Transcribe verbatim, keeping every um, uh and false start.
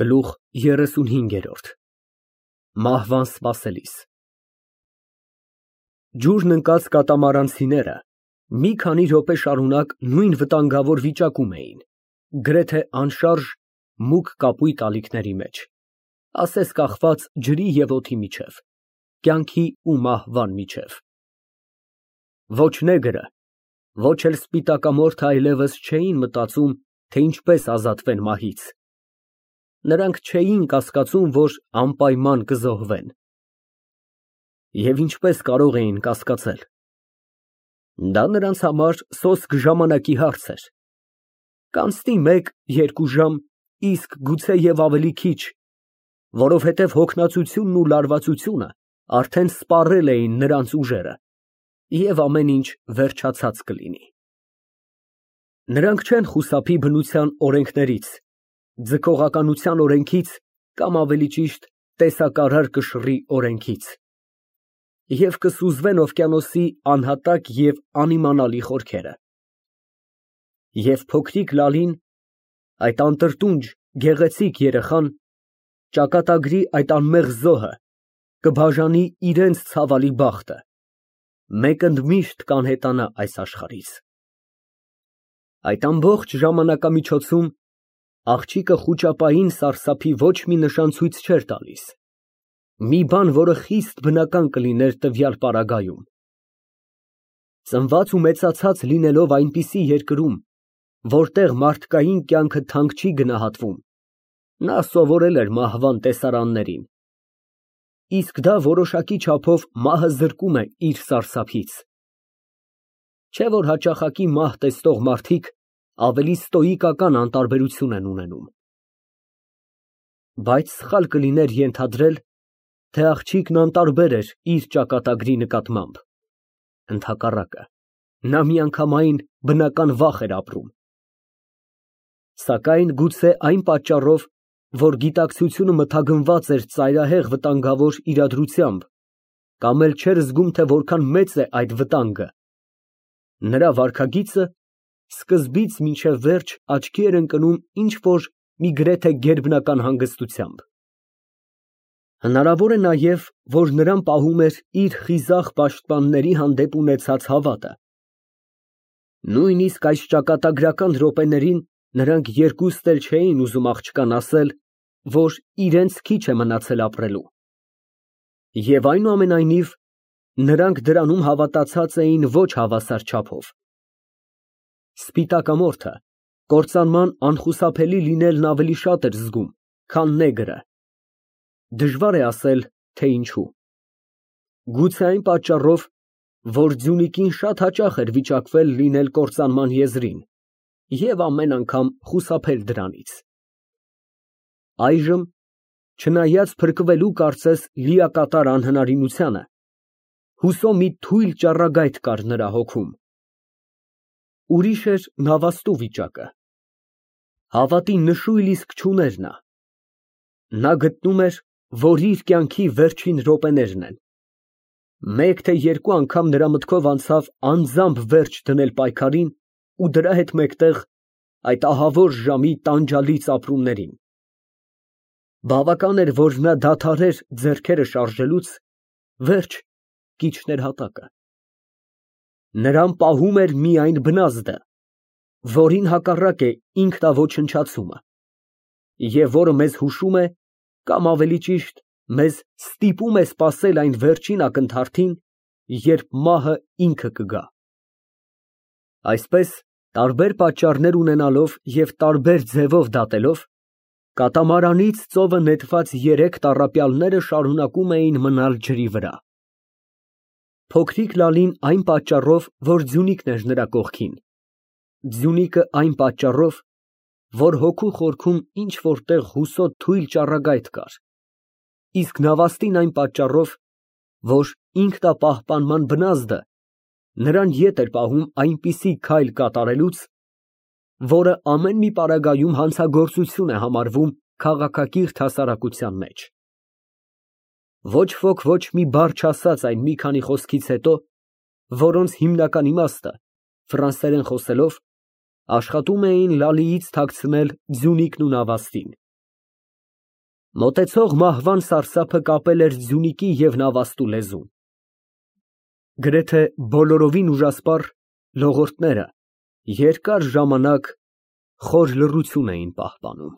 Գլուխ երեսունհինգ։ Մահվան սպասելիս Ջուրն ընկած կատամարանցիները մի քանի րոպե շարունակ նույն վտանգավոր վիճակում էին, գրեթե անշարժ, մուգ կապույտ ալիքների մեջ, ասես կախված ջրի և օդի միջև, կյանքի ու մահվան միջև։ Ոչ նեգրը, ոչ էլ սպիտակամորթը այլևս չէին մտածում, թե ինչպես ազատվեն մահից։ Նրանք չէին կասկածում, որ անպայման կզոհվեն։ Եվ ինչպես կարող էին կասկածել։ Դա նրանց համար սոսկ ժամանակի հարց էր։ Կանցնի մեկ, երկու ժամ, իսկ գուցե և ավելի քիչ, որովհետև հոգնածությունն ու լարվածությունը արդեն սպառել էին նրանց ուժերը, և ամեն ինչ վերջացած կլինի։ Նրանք չեն խուսափի բնության օրենքներից, ձգողականության օրենքից կամ ավելի ճիշտ տեսակարար կշռի օրենքից, և կսուզվեն օվկիանոսի անհատակ և անիմանալի խորքերը։ Եվ փոքրիկ Լալին, այդ անտրտունջ, գեղեցիկ երեխան, ճակատագրի այդ անմեղ զոհը, կբաժանի իրենց ցավալի բախտը, մեկընդմիշտ կանհետանա այս աշխարհից։ Այդ ամբողջ ժամանակամիջոցում աղջիկը խուճապային սարսափի ոչ մի նշան ցույց չէր տալիս, մի բան, որը խիստ բնական կլիներ տվյալ պարագայում։ Ծնված ու մեծացած լինելով այնպիսի երկրում, որտեղ մարդկային կյանքը թանկ չի գնահատվում, նա սովորել էր մահվան տեսարաններին, իսկ դա որոշակի չափով մահը զրկում է իր սարսափից։ Չէ՞ որ հաճախակի մահ տեսնող մարդիկ ավելի ստոիկական անտարբերություն են ունենում։ Բայց սխալ կլիներ ենթադրել, թե աղջիկն անտարբեր էր իր ճակատագրի նկատմամբ, ընդհակառակը, նա միանգամայն բնական վախ էր ապրում։ Սակայն գուցե այն պատճառով, որ գիտակցությունը մթագնված էր ծայրահեղ վտանգավոր իրադրությամբ, կամ էլ չէր զգում, թե որքան մեծ է այդ վտանգը, նրա վարքագիծը սկզբից մինչև վերջ աչքի էր ընկնում ինչ֊որ մի գրեթե գերբնական հանգստությամբ։ Հնարավոր է նաև, որ նրան պահում էր իր խիզախ պաշտպանների հանդեպ ունեցած հավատը։ Նույնիսկ այս ճակատագրական րոպեներին նրանք երկուստ էլ չէին ուզում աղջկան ասել, որ իրենց քիչ է մնացել ապրելու։ Եվ այնուամենայնիվ, նրանք դրանում հավատացած էին ոչ հավասար չափով։ Սպիտակամորթը կործանման անխուսափելի լինելն ավելի շատ էր զգում, քան նեգրը։ Դժվար է ասել, թե ինչու։ Գուցե այն պատճառով, որ Ձյունիկին շատ հաճախ էր վիճակվել լինել կործանման եզրին և ամեն անգամ խուսափել դրանից։ Այժմ, չնայած փրկվելու կարծես լիակատար անհնարինությանը, հուսո մի թույլ ճառագայթ կար նրա հոգում։ Ուրիշ էր նավաստու վիճակը։ Հավատի նշույլ իսկ չուներ նա։ Նա գտնում էր, որ իր կյանքի վերջին րոպեներն են։ Մեկ թե երկու անգամ նրա մտքով անցավ անձամբ վերջ դնել պայքարին ու դրա հետ մեկտեղ այդ ահավոր ժամի տանջալից ապրումներին։ Բավական էր, որ նա դադարեր ձեռքերը շարժելուց, վերջ, կիջներ հատակը։ Նրան պահում էր միայն բնազդը, որին հակառակ է ինքնաոչնչացումը, և որը մեզ հուշում է, կամ ավելի ճիշտ, մեզ ստիպում է սպասել այն վերջին ակնթարթին, երբ մահը ինքը կգա։ Այսպես, տարբեր պատճառներ ունենալով և տարբեր ձևով դատելով, կատամարանից ծովը նետված երեք տառապյալները շարունակում էին մնալ ջրի վրա։ Փոքրիկ Լալին այն պատճառով, որ Ձյունիկն էր նրա կողքին, Ձյունիկը այն պատճառով, որ հոգու խորքում ինչ֊որ տեղ հուսո թույլ ճառագայթ կար, իսկ նավաստին այն պատճառով, որ ինքնապահպանման բնազդը նրան ետ էր պահում այնպիսի քայլ կատարելուց, որը ամեն մի պարագայում հանցագործություն է համարվում քաղաքակիրթ հասարակության մեջ։ Ոչ ոք ոչ մի բառ չասաց այն մի քանի խոսքից հետո, որոնց հիմնական իմաստը, ֆրանսերեն խոսելով, աշխատում էին Լալիից թաքցնել Ձյունիկն ու նավաստին։ Մոտեցող մահվան սարսափը կապել էր ձյունիկի և նավաստու լեզուն։ Գրեթե բոլորովին ուժասպառ լողորդները երկար ժամանակ խոր լռություն էին պահպանում։